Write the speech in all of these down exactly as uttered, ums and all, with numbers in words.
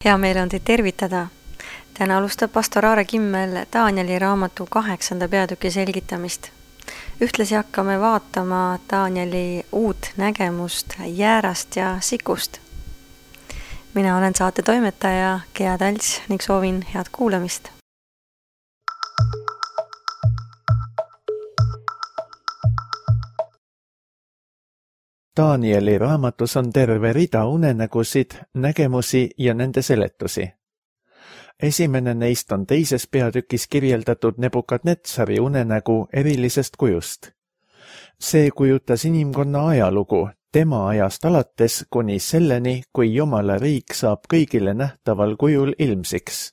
Hea meel on teid tervitada. Täna alustab pastor Aare Kimmel Danieli raamatu kaheksanda peatüki selgitamist. Ühtlasi hakkame vaatama Danieli uut nägemust jäärast ja sikust. Mina olen saate toimetaja Gea Talts ning soovin head kuulamist. Danieli raamatus on terve rida unenägusid, nägemusi ja nende seletusi. Esimene neist on teises peatükis kirjeldatud Nebukadnetsari unenägu erilisest kujust. See kujutas inimkonna ajalugu, tema ajast alates kuni selleni, kui Jumala riik saab kõigile nähtaval kujul ilmsiks.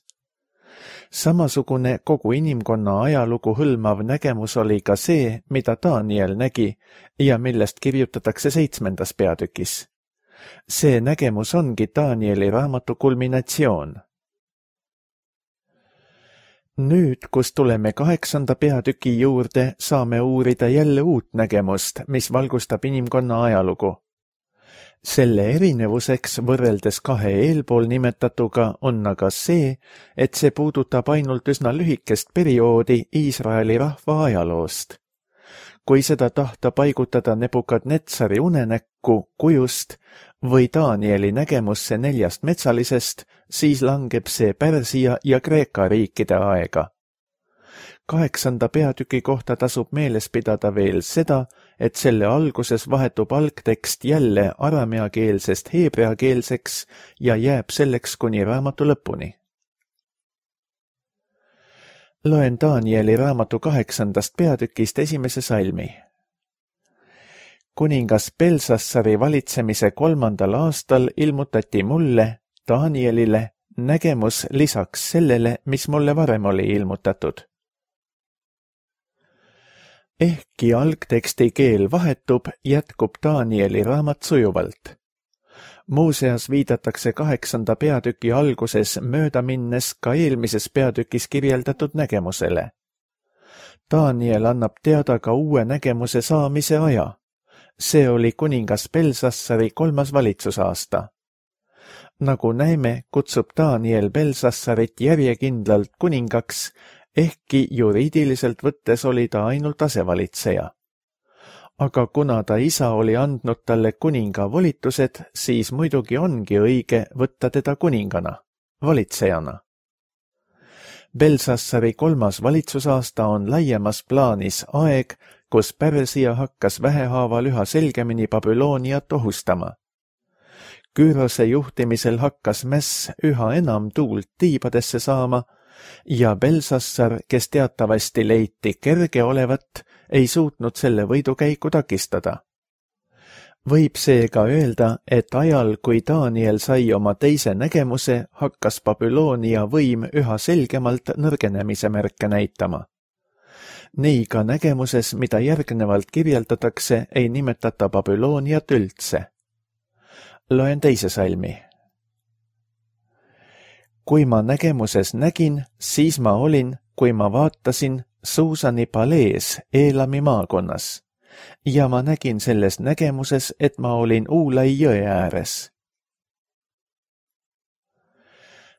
Samasugune kogu inimkonna ajalugu hõlmav nägemus oli ka see, mida Daniel nägi ja millest kirjutatakse seitsmendas peatükis. See nägemus ongi Danieli raamatu kulminatsioon. Nüüd, kus tuleme kaheksanda peatüki juurde, saame uurida jälle uut nägemust, mis valgustab inimkonna ajalugu. Selle erinevuseks võrreldes kahe eelpool nimetatuga on aga see, et see puudutab ainult üsna lühikest perioodi Iisraeli rahva ajaloost. Kui seda tahta paigutada Nebukadnetsari unenäkku kujust või Danieli nägemusse neljast metsalisest, siis langeb see Pärsia ja Kreeka riikide aega. Kaheksanda peatüki kohta tasub meeles pidada veel seda, et selle alguses vahetub algtekst jälle arameakeelsest heebreakeelseks ja jääb selleks kuni raamatu lõpuni. Loen Danieli raamatu kaheksandast peatükist esimese salmi. Kuningas Belsassari valitsemise kolmandal aastal ilmutati mulle, Danielile, nägemus lisaks sellele, mis mulle varem oli ilmutatud. Ehkki algteksti keel vahetub, jätkub Danieli raamat sujuvalt. Muuseas viidatakse kaheksanda peatüki alguses mööda minnes ka eelmises peatükis kirjeldatud nägemusele. Daniel annab teada ka uue nägemuse saamise aja. See oli kuningas Belsassari kolmas valitsusaasta. Nagu näeme, kutsub Daniel Belsassarit järjekindlalt kuningaks, ehkki juriidiliselt võttes oli ta ainult asevalitseja. Aga kuna ta isa oli andnud talle kuninga volitused, siis muidugi ongi õige võtta teda kuningana, valitsejana. Belsassari kolmas valitsusaasta on laiemas plaanis aeg, kus Pärsia hakkas vähehaaval üha selgemini Babyloniat ohustama. Küürose juhtimisel hakkas mäss üha enam tuult tiibadesse saama, ja Belsassar, kes teatavasti leiti kerge olevat, ei suutnud selle võidukäiku takistada. Võib seega öelda, et ajal, kui Daniel sai oma teise nägemuse, hakkas Babylonia võim üha selgemalt nõrgenemise märke näitama. Nii ka nägemuses, mida järgnevalt kirjeldatakse, ei nimetata Babyloniat üldse. Loen teise salmi. Kui ma nägemuses nägin, siis ma olin, kui ma vaatasin, Suusani palees Eelami maakonnas, ja ma nägin selles nägemuses, et ma olin Uulai jõe ääres.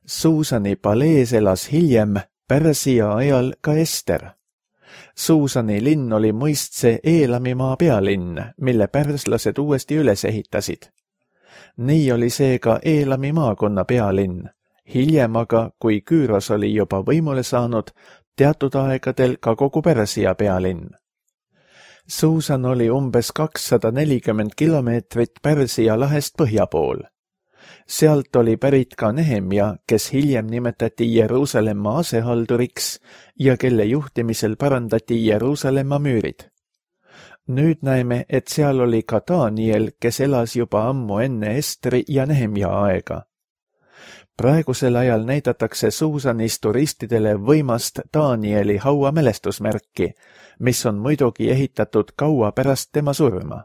Suusani palees elas hiljem Pärsia ajal ka Ester. Suusani linn oli mõistse Eelami maa pealinn, mille pärslased uuesti üles ehitasid. Nii oli see ka Eelami maakonna pealinn. Hiljem aga, kui Küüros oli juba võimule saanud, teatud aegadel ka kogu Pärsia pealinn. Suusan oli umbes kakssada nelikümmend kilomeetrit Pärsia lahest põhja pool. Sealt oli pärit ka Nehemja, kes hiljem nimetati Jeruusalemma asehalduriks ja kelle juhtimisel parandati Jeruusalemma müürid. Nüüd näeme, et seal oli ka Daniel, kes elas juba ammu enne Estri ja Nehemja aega. Praegusel ajal näidatakse Suusanis turistidele võimast Danieli hauamälestusmärki, mis on muidugi ehitatud kaua pärast tema surma.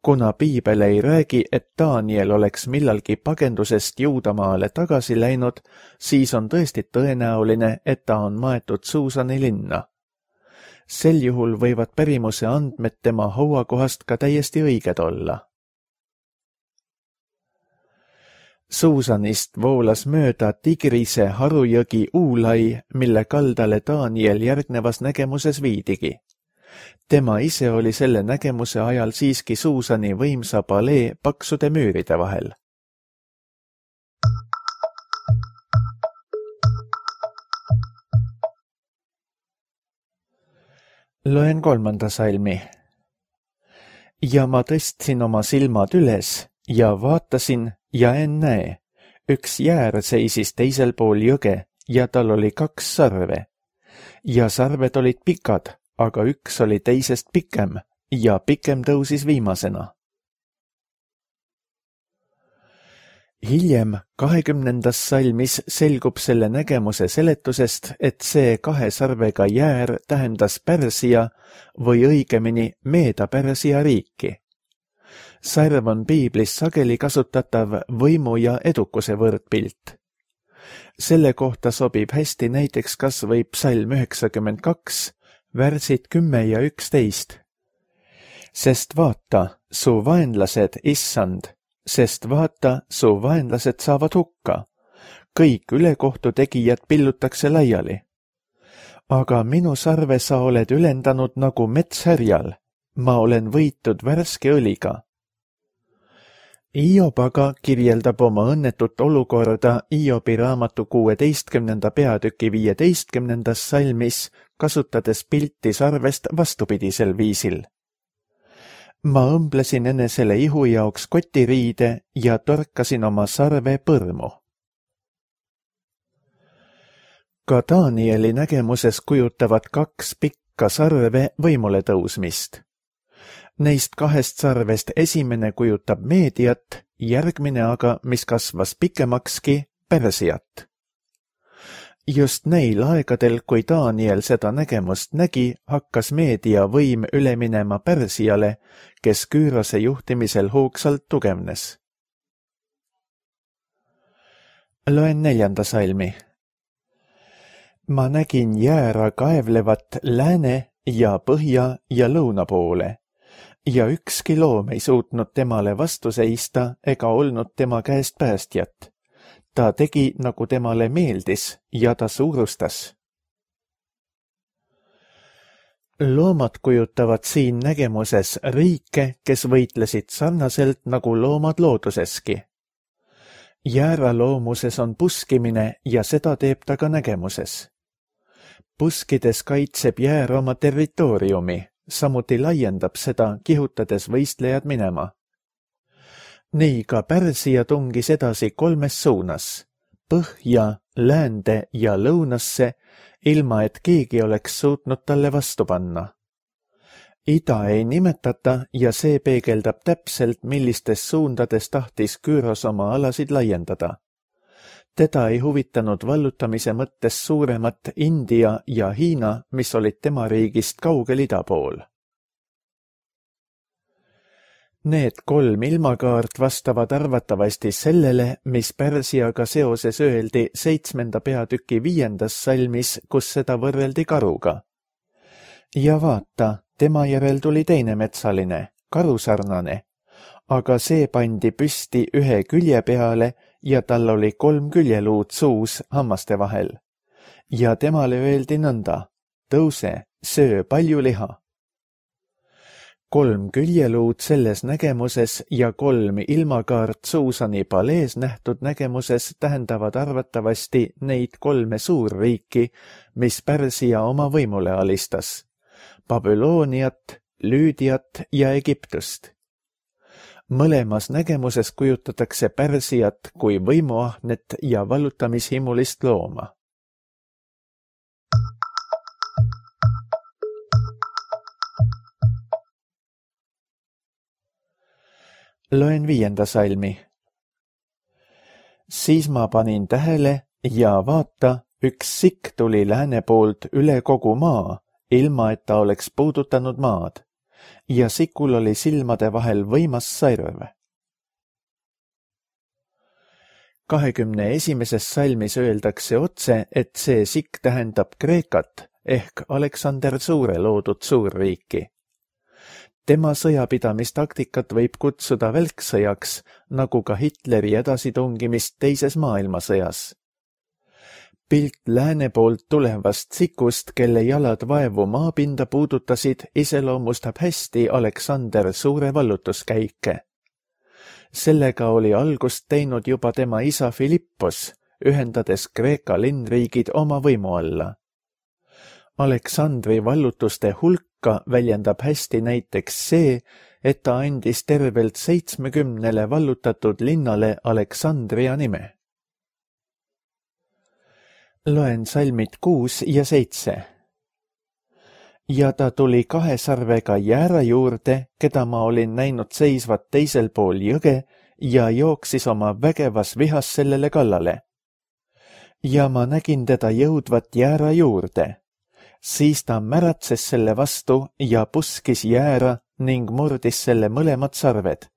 Kuna piibel ei räägi, et Daniel oleks millalgi pagendusest Juudamaale tagasi läinud, siis on tõesti tõenäoline, et ta on maetud Suusani linna. Sel juhul võivad pärimuse andmed tema hauakohast ka täiesti õiged olla. Suusanist voolas mööda Tigrise harujõgi Uulai, mille kaldale Daniel järgnevas nägemuses viidigi. Tema ise oli selle nägemuse ajal siiski Suusani võimsa palee paksude müüride vahel. Loen kolmanda salmi. Ja ma tõstsin oma silmad üles ja vaatasin ja ennäe, üks jäär seisis teisel pool jõge ja tal oli kaks sarve. Ja sarved olid pikad, aga üks oli teisest pikem ja pikem tõusis viimasena. Hiljem kahekümnendas salmis selgub selle nägemuse seletusest, et see kahe sarvega jäär tähendas Pärsia või õigemini Meeda-Pärsia riiki. Sarv on piiblis sageli kasutatav võimu ja edukuse võrdpilt. Selle kohta sobib hästi näiteks kas või psalm üheksakümmend kaks, värsid kümme ja üksteist. Sest vaata, su vaenlased, issand, sest vaata, su vaenlased saavad hukka. Kõik ülekohtu tegijad pillutakse laiali. Aga minu sarve sa oled ülendanud nagu metshärjal. Ma olen võitud värske õliga. Iob aga kirjeldab oma õnnetut olukorda Iobi raamatu kuueteistkümnenda peatüki viieteistkümnendas salmis, kasutades pilti sarvest vastupidisel viisil. Ma õmblesin enesele ihu jaoks kotiriide ja torkasin oma sarve põrmu. Ka Danieli nägemuses kujutavad kaks pikka sarve võimule tõusmist. Neist kahest sarvest esimene kujutab Meediat, järgmine aga, mis kasvas pikemakski, Pärsiat. Just neil aegadel, kui Daniel seda nägemust nägi, hakkas Meedia võim üle minema Pärsiale, kes Küürose juhtimisel hoogsalt tugevnes. Loen neljanda salmi. Ma nägin jäära kaevlevat lääne ja põhja ja lõuna poole. Ja ükski loom ei suutnud temale vastu seista ega olnud tema käest päästjat. Ta tegi, nagu temale meeldis, ja ta suurustas. Loomad kujutavad siin nägemuses riike, kes võitlesid sarnaselt nagu loomad looduseski. Jäära loomuses on puskimine ja seda teeb ta ka nägemuses. Puskides kaitseb jäär oma territooriumi. Samuti laiendab seda, kihutades võistlejad minema. Nii ka Pärsia tungis edasi kolmes suunas, põhja, läände ja lõunasse, ilma et keegi oleks suutnud talle vastu panna. Ida ei nimetata ja see peegeldab täpselt, millistes suundades tahtis Küüros oma alasid laiendada. Teda ei huvitanud vallutamise mõttes suuremat India ja Hiina, mis olid tema riigist kaugel ida pool. Need kolm ilmakaart vastavad arvatavasti sellele, mis Pärsiaga seoses öeldi seitsmenda peatüki viiendas salmis, kus seda võrreldi karuga. Ja vaata, tema järel tuli teine metsaline, karusarnane, aga see pandi püsti ühe külje peale ja tal oli kolm küljeluud suus hammaste vahel. Ja temale öeldi nõnda, tõuse, söö palju liha. Kolm küljeluud selles nägemuses ja kolm ilmakaart Suusani palees nähtud nägemuses tähendavad arvatavasti neid kolme suurriiki, mis Pärsia oma võimule alistas. Babülooniat, Lüüdiat ja Egiptust. Mõlemas nägemuses kujutatakse Pärsiat kui võimuahnet ja vallutamishimulist looma. Loen viienda salmi. Siis ma panin tähele ja vaata, üks sikk tuli lääne poolt üle kogu maa, ilma et ta oleks puudutanud maad. Ja sikul oli silmade vahel võimas sarv. kahekümne esimeses salmis öeldakse otse, et see sikk tähendab Kreekat ehk Aleksander Suure loodud suurriiki. Tema sõjapidamistaktikat võib kutsuda välksõjaks, nagu ka Hitleri edasitungimist teises maailmasõjas. Pilt lääne poolt tulevast tsikust, kelle jalad vaevu maapinda puudutasid, iseloomustab hästi Aleksander Suure vallutuskäike. Sellega oli algust teinud juba tema isa Philippos, ühendades Kreeka linnriigid oma võimu alla. Aleksandri vallutuste hulka väljendab hästi näiteks see, et ta andis tervelt seitsmekümnele vallutatud linnale Aleksandria nime. Loen salmid kuus ja seitse. Ja ta tuli kahe sarvega jäära juurde, keda ma olin näinud seisvat teisel pool jõge ja jooksis oma vägevas vihas sellele kallale. Ja ma nägin teda jõudvat jäära juurde. Siis ta märatses selle vastu ja puskis jäära ning murdis selle mõlemad sarved.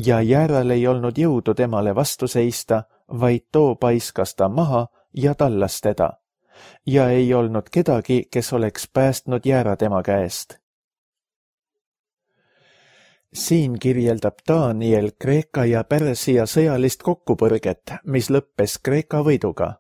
Ja jääral ei olnud jõudu temale vastu seista, vaid too paiskas ta maha ja tallas teda. Ja ei olnud kedagi, kes oleks päästnud jäära tema käest. Siin kirjeldab Daniel Kreeka ja Pärsia sõjalist kokkupõrget, mis lõppes Kreeka võiduga.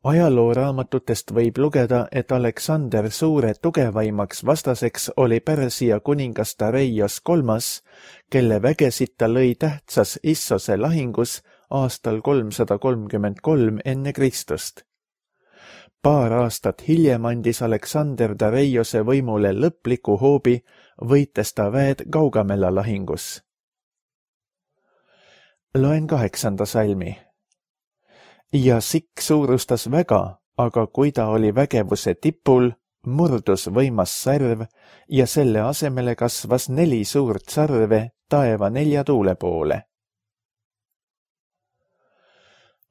Ajalooraamatutest võib lugeda, et Aleksander Suure tugevaimaks vastaseks oli Pärsia kuningas Dareios kolmas, kelle vägesid ta lõi tähtsas Issose lahingus aastal kolmsada kolmkümmend kolm enne Kristust. Paar aastat hiljem andis Aleksander Dareiose võimule lõpliku hoobi, võites ta väed Gaugamela lahingus. Loen kaheksanda salmi. Ja Sikk suurustas väga, aga kui ta oli vägevuse tipul, murdus võimas sarv ja selle asemele kasvas neli suurt sarve taeva nelja tuule poole.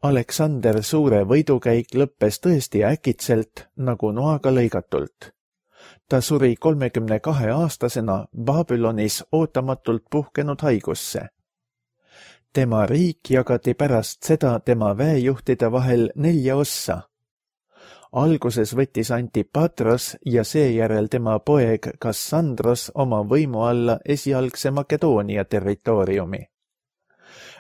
Aleksander Suure võidukäik lõppes tõesti äkitselt, nagu noaga lõigatult. Ta suri kolmekümne kahe aastasena Babülonis ootamatult puhkenud haigusse. Tema riik jagati pärast seda tema väejuhtide vahel nelja ossa. Alguses võttis Antipatros ja seejärel tema poeg Kassandros oma võimu alla esialgse Makedoonia territooriumi.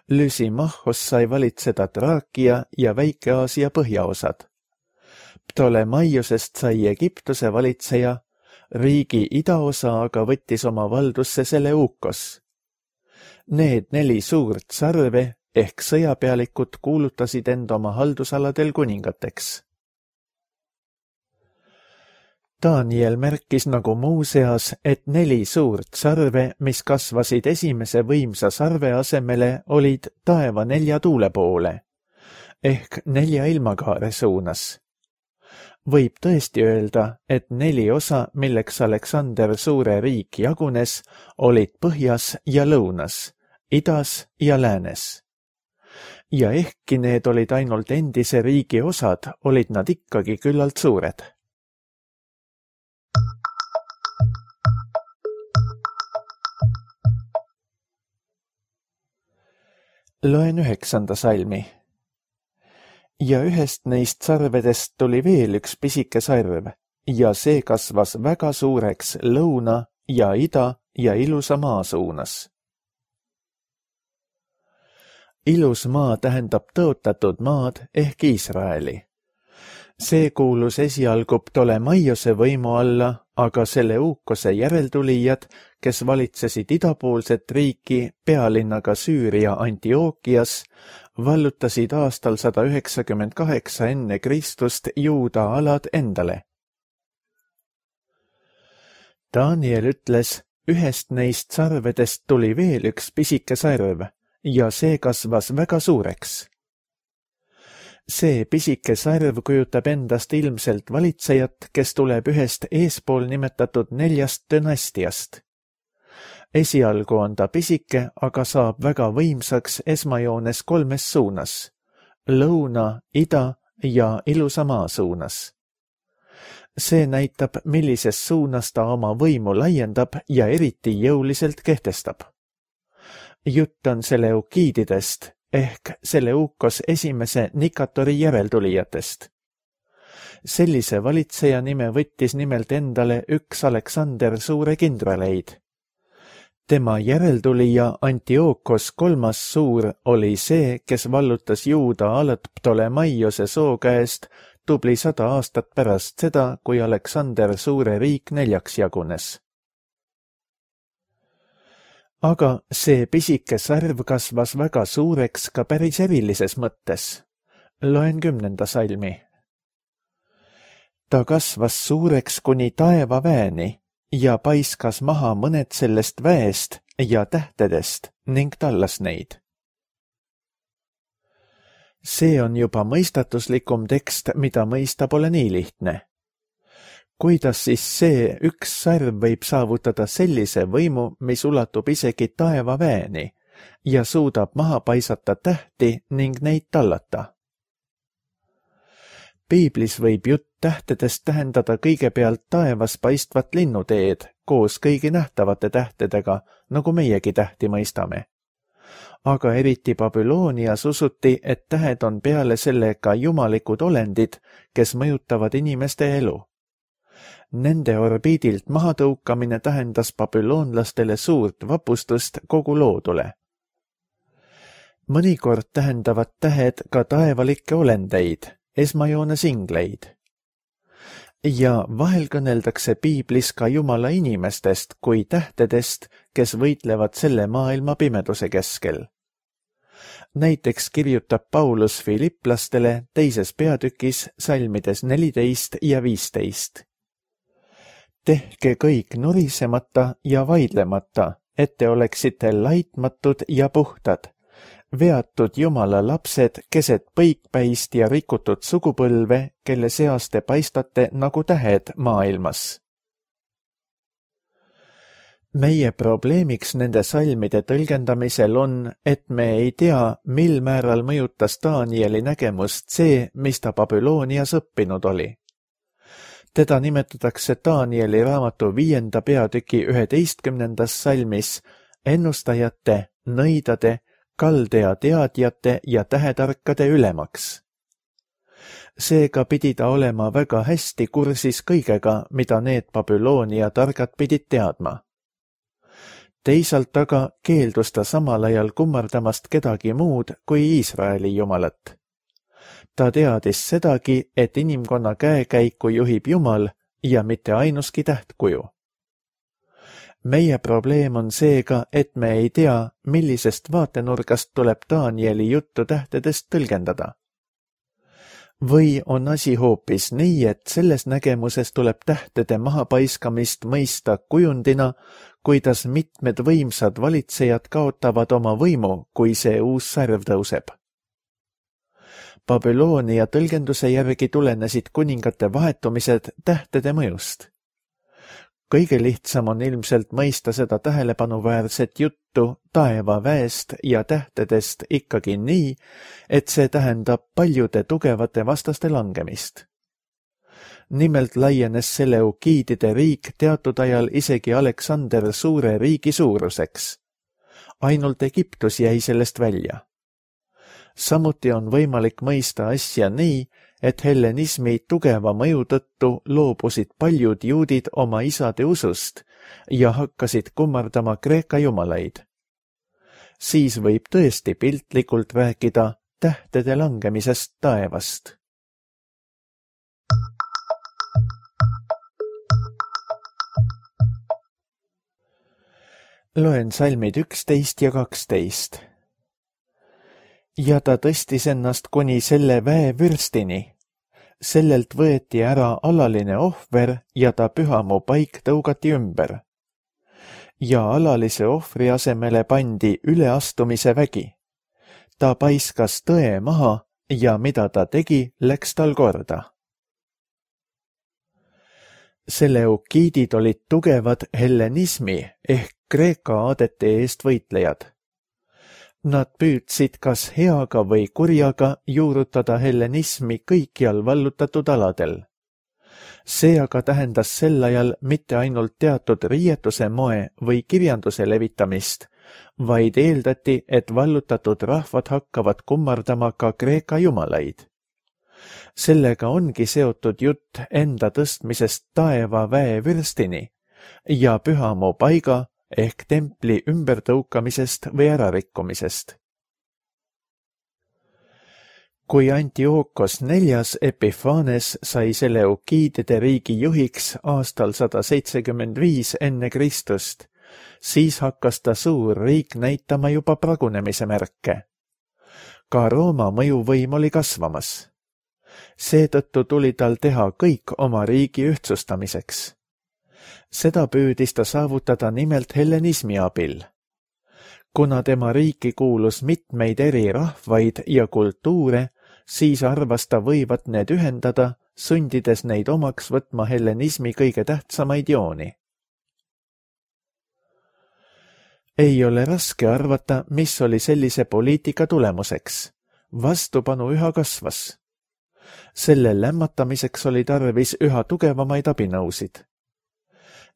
Lysimachos sai valitseda Traakia ja Väike-Aasia põhjaosad. Ptolemaiosest sai Egiptuse valitseja, riigi idaosa aga võttis oma valdusse Seleukos. Need neli suurt sarve ehk sõjapealikud kuulutasid end oma haldusaladel kuningateks. Daniel märkis nagu muuseas, et neli suurt sarve, mis kasvasid esimese võimsa sarve asemele, olid taeva nelja tuule poole, ehk nelja ilmakaare suunas. Võib tõesti öelda, et neli osa, milleks Aleksander Suure riik jagunes, olid põhjas ja lõunas, idas ja läänes. Ja ehkki need olid ainult endise riigi osad, olid nad ikkagi küllalt suured. Loen üheksanda salmi. Ja ühest neist sarvedest tuli veel üks pisike sarv ja see kasvas väga suureks lõuna ja ida ja ilusa maa suunas. Ilus maa tähendab tõotatud maad ehk Iisraeli. See kuulus esialgu Ptolemaiose võimu alla, aga Seleukose järeltulijad, kes valitsesid idapoolset riiki pealinnaga Süüria Antiookias, vallutasid aastal sada üheksakümmend kaheksa enne Kristust Juuda alad endale. Daniel ütles, ühest neist sarvedest tuli veel üks pisike sarv ja see kasvas väga suureks. See pisike sarv kujutab endast ilmselt valitsejat, kes tuleb ühest eespool nimetatud neljast dünastiast. Esialgu on ta pisike, aga saab väga võimsaks esmajoones kolmes suunas, lõuna, ida ja ilusa maa suunas. See näitab, millises suunas ta oma võimu laiendab ja eriti jõuliselt kehtestab. Jutt on Seleukiididest ehk Seleukos esimese Nikatori järeltulijatest. Sellise valitseja nime võttis nimelt endale üks Aleksander Suure kindraleid, tema järeltulija Antiookos kolmas suur oli see, kes vallutas Juuda alad Ptolemaiose soo käest tubli sada aastat pärast seda, kui Aleksander suure riik neljaks jagunes. Aga see pisike sarv kasvas väga suureks ka päris erilises mõttes. Loen kümnenda salmi. Ta kasvas suureks kuni taevaväeni ja paiskas maha mõned sellest väest ja tähtedest ning tallas neid. See on juba mõistatuslikum tekst, mida mõista pole nii lihtne. Kuidas siis see üks sarv võib saavutada sellise võimu, mis ulatub isegi taevaväeni ja suudab maha paisata tähti ning neid tallata? Piiblis võib jutt tähtedest tähendada kõigepealt taevas paistvat linnuteed koos kõigi nähtavate tähtedega, nagu meiegi tähti mõistame. Aga eriti Babylonias usuti, et tähed on peale selle ka jumalikud olendid, kes mõjutavad inimeste elu. Nende orbiidilt mahatõukamine tähendas babüloonlastele suurt vapustust kogu loodule. Mõnikord tähendavad tähed ka taevalikke olendeid, esmajoones ingleid. Ja vahel kõneldakse piiblis ka Jumala inimestest kui tähtedest, kes võitlevad selle maailma pimeduse keskel. Näiteks kirjutab Paulus Filipplastele teises peatükis salmides neliteist ja viisteist. Tehke kõik nurisemata ja vaidlemata, et te oleksite laitmatud ja puhtad, veatud Jumala lapsed keset põikpäist ja rikutud sugupõlve, kelle seas te paistate nagu tähed maailmas. Meie probleemiks nende salmide tõlgendamisel on, et me ei tea, mil määral mõjutas Danieli nägemust see, mis ta Babylonias õppinud oli. Teda nimetatakse Danieli raamatu viienda peatüki üheteistkümnendas salmis ennustajate, nõidade, kaldea teadjate ja tähetarkade ülemaks. Seega pidi ta olema väga hästi kursis kõigega, mida need Babyloonia targad pidid teadma. Teisalt aga keeldus ta samal ajal kummardamast kedagi muud kui Iisraeli jumalat. Ta teadis sedagi, et inimkonna käekäiku juhib Jumal ja mitte ainuski tähtkuju. Meie probleem on seega, et me ei tea, millisest vaatenurgast tuleb Danieli juttu tähtedest tõlgendada. Või on asi hoopis nii, et selles nägemuses tuleb tähtede mahapaiskamist mõista kujundina, kuidas mitmed võimsad valitsejad kaotavad oma võimu, kui see uus sarv tõuseb. Babyloonia tõlgenduse järgi tulenesid kuningate vahetumised tähtede mõjust. Kõige lihtsam on ilmselt mõista seda tähelepanuväärset juttu taevaväest ja tähtedest ikkagi nii, et see tähendab paljude tugevate vastaste langemist. Nimelt laienes Seleukiidide riik teatud ajal isegi Aleksander suure riigi suuruseks. Ainult Egiptus jäi sellest välja. Samuti on võimalik mõista asja nii, et hellenismi tugeva mõju tõttu loobusid paljud juudid oma isade usust ja hakkasid kummardama Kreeka jumalaid. Siis võib tõesti piltlikult rääkida tähtede langemisest taevast. Loen salmid üksteist ja kaksteist. Ja ta tõstis ennast kuni selle väevürstini. Sellelt võeti ära alaline ohver ja ta pühamu paik tõugati ümber. Ja alalise ohvri asemele pandi üleastumise vägi. Ta paiskas tõe maha ja mida ta tegi, läks tal korda. Seleukiidid olid tugevad hellenismi ehk Kreeka aadete eest võitlejad. Nad püüdsid kas heaga või kurjaga juurutada hellenismi kõikjal vallutatud aladel. See aga tähendas sel ajal mitte ainult teatud riietuse moe või kirjanduse levitamist, vaid eeldati, et vallutatud rahvad hakkavad kummardama ka Kreeka jumalaid. Sellega ongi seotud jutt enda tõstmisest taeva väevürstini ja pühamu paiga ehk templi ümbertõukamisest või ärarikkumisest. Kui Antiookos neljas Epiphanes sai Seleukiidide riigi juhiks aastal sada seitsekümmend viis enne Kristust, siis hakkas ta suur riik näitama juba pragunemise märke. Ka Rooma mõjuvõim oli kasvamas. Seetõttu tuli tal teha kõik oma riigi ühtsustamiseks. Seda püüdis ta saavutada nimelt hellenismi abil. Kuna tema riiki kuulus mitmeid eri rahvaid ja kultuure, siis arvas ta võivat need ühendada, sundides neid omaks võtma hellenismi kõige tähtsamaid jooni. Ei ole raske arvata, mis oli sellise poliitika tulemuseks. Vastupanu üha kasvas. Selle lämmatamiseks oli tarvis üha tugevamaid abinõusid.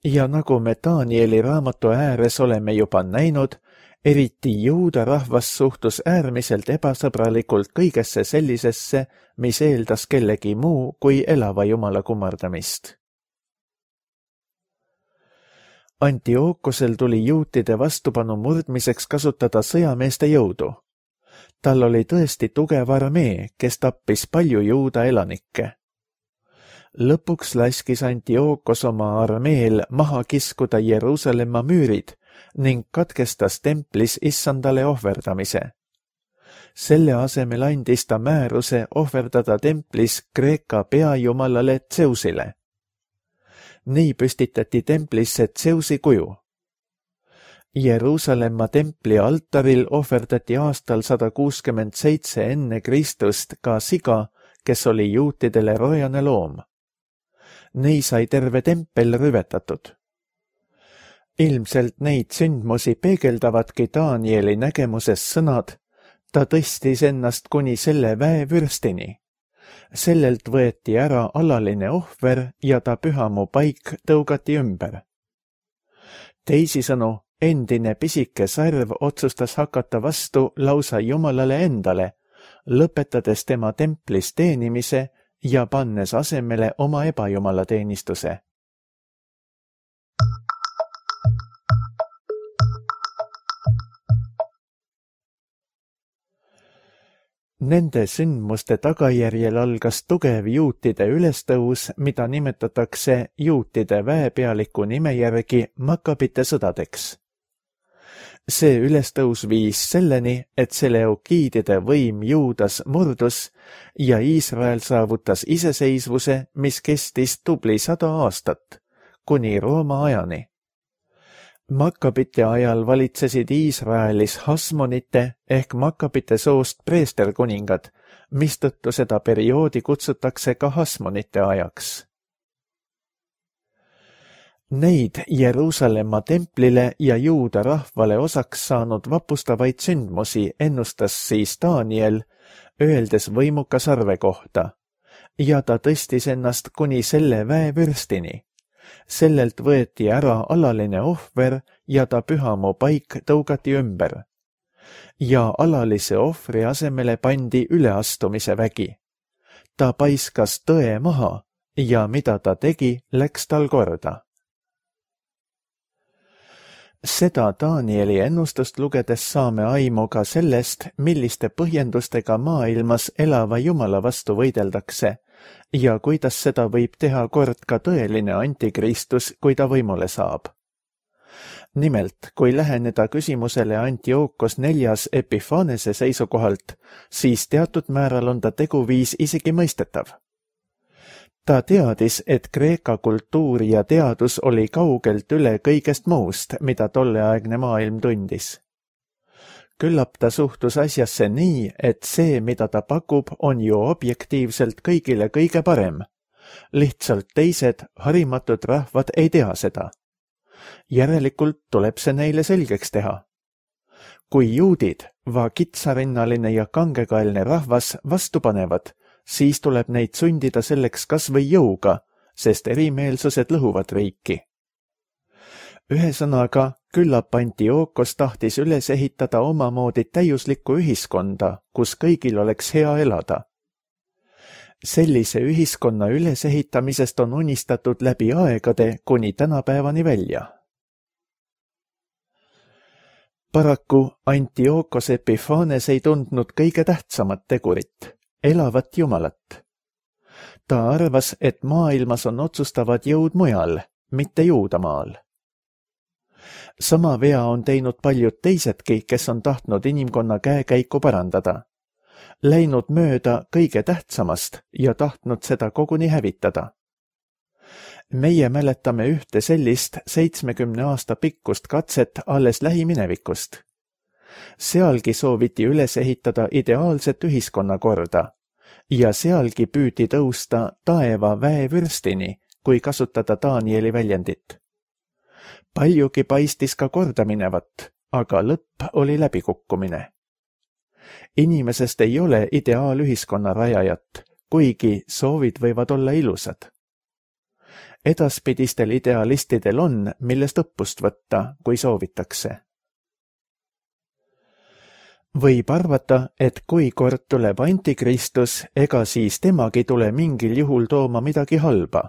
Ja nagu me Danieli raamatu ääres oleme juba näinud, eriti juuda rahvas suhtus äärmiselt ebasõbralikult kõigesse sellisesse, mis eeldas kellegi muu kui elava jumala kummardamist. Antiookosel tuli juutide vastupanu murdmiseks kasutada sõjameeste jõudu. Tal oli tõesti tugev armee, kes tappis palju juuda elanikke. Lõpuks laskis Antiookos oma armeel maha kiskuda Jeruusalemma müürid ning katkestas templis issandale ohverdamise. Selle asemel andis ta määruse ohverdada templis Kreeka peajumalale Zeusile. Nii püstitati templisse Zeusi kuju. Jeruusalemma templi altaril ohverdati aastal sada kuuskümmend seitse enne Kristust ka siga, kes oli juutidele rojane loom. Nii sai terve tempel rüvetatud. Ilmselt neid sündmusi peegeldavadki Danieli nägemuses sõnad, ta tõstis ennast kuni selle väevürstini. Sellelt võeti ära alaline ohver ja ta pühamu paik tõugati ümber. Teisisõnu, endine pisike sarv otsustas hakata vastu lausa Jumalale endale, lõpetades tema templis teenimise ja pannes asemele oma ebajumala teenistuse. Nende sündmuste tagajärjel algas tugev juutide ülestõus, mida nimetatakse juutide väepealiku nime järgi Makkabite sõdadeks. See ülestõus viis selleni, et Seleukiidide võim Juudas murdus ja Iisrael saavutas iseseisvuse, mis kestis tubli sada aastat, kuni Rooma ajani. Makkabite ajal valitsesid Iisraelis Hasmonite ehk Makkabite soost preesterkuningad, mistõttu seda perioodi kutsutakse ka Hasmonite ajaks. Neid Jeruusalemma templile ja juuda rahvale osaks saanud vapustavaid sündmusi ennustas siis Daniel, öeldes võimuka sarve kohta, ja ta tõstis ennast kuni selle väevürstini. Sellelt võeti ära alaline ohver ja ta pühamu paik tõugati ümber. Ja alalise ohvri asemele pandi üleastumise vägi. Ta paiskas tõe maha ja mida ta tegi, läks tal korda. Seda Danieli ennustust lugedes saame aimu ka sellest, milliste põhjendustega maailmas elava Jumala vastu võideldakse ja kuidas seda võib teha kord ka tõeline antikristus, kui ta võimule saab. Nimelt, kui läheneda küsimusele Antiookos neljas Epiphanese seisukohalt, siis teatud määral on ta teguviis isegi mõistetav. Ta teadis, et Kreeka kultuur ja teadus oli kaugelt üle kõigest muust, mida tolleaegne maailm tundis. Küllap ta suhtus asjasse nii, et see, mida ta pakub, on ju objektiivselt kõigile kõige parem. Lihtsalt teised, harimatud rahvad ei tea seda. Järelikult tuleb see neile selgeks teha. Kui juudid, va kitsarinnaline ja kangekaelne rahvas vastu panevad, siis tuleb neid sundida selleks kas või jõuga, sest erimeelsused lõhuvad riiki. Ühesõnaga, küllap Antiookos tahtis üles ehitada omamoodi täiuslikku ühiskonda, kus kõigil oleks hea elada. Sellise ühiskonna ülesehitamisest on unistatud läbi aegade kuni tänapäevani välja. Paraku Antiochos Epiphanes ei tundnud kõige tähtsamat tegurit, elavat Jumalat. Ta arvas, et maailmas on otsustavad jõud mujal, mitte Juudamaal. Sama vea on teinud paljud teisedki, kes on tahtnud inimkonna käekäiku parandada, läinud mööda kõige tähtsamast ja tahtnud seda koguni hävitada. Meie mäletame ühte sellist seitsmekümne aasta pikkust katset alles lähiminevikust. Sealgi sooviti üles ehitada ideaalset ühiskonnakorda ja sealgi püüdi tõusta taeva väevürstini, kui kasutada Danieli väljendit. Paljugi paistis ka korda minevat, aga lõpp oli läbikukkumine. Inimesest ei ole ideaalühiskonna rajajat, kuigi soovid võivad olla ilusad. Edaspidistel idealistidel on, millest õppust võtta, kui soovitakse. Võib arvata, et kui kord tuleb antikristus, ega siis temagi tule mingil juhul tooma midagi halba.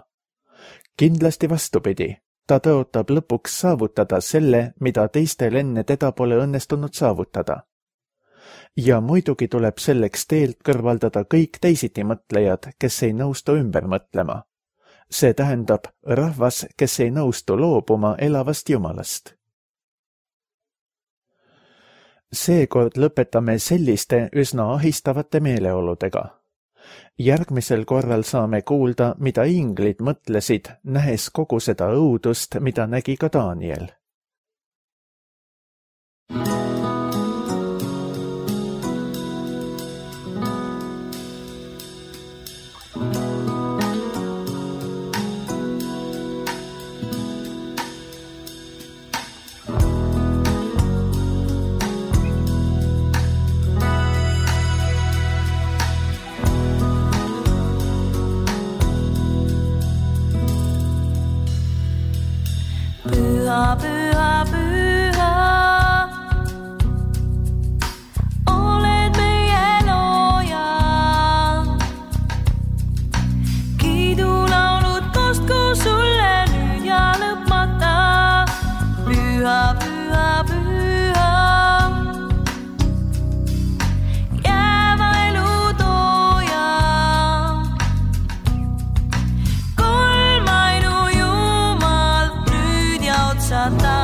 Kindlasti vastupidi, ta tõotab lõpuks saavutada selle, mida teistel enne teda pole õnnestunud saavutada. Ja muidugi tuleb selleks teelt kõrvaldada kõik teisiti mõtlejad, kes ei nõustu ümber mõtlema. See tähendab rahvas, kes ei nõustu loobuma elavast Jumalast. Seekord lõpetame selliste üsna ahistavate meeleoludega. Järgmisel korral saame kuulda, mida inglid mõtlesid, nähes kogu seda õudust, mida nägi ka Daniel. Püha, püha, püha, oled meie looja. Kiidulaulud kostku sulle nüüd ja lõpmata. Püha, püha, püha, jääva elu tooja. Kolmainu Jumal nüüd ja otsata.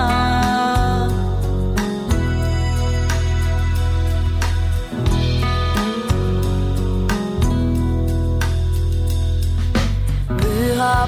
Püha,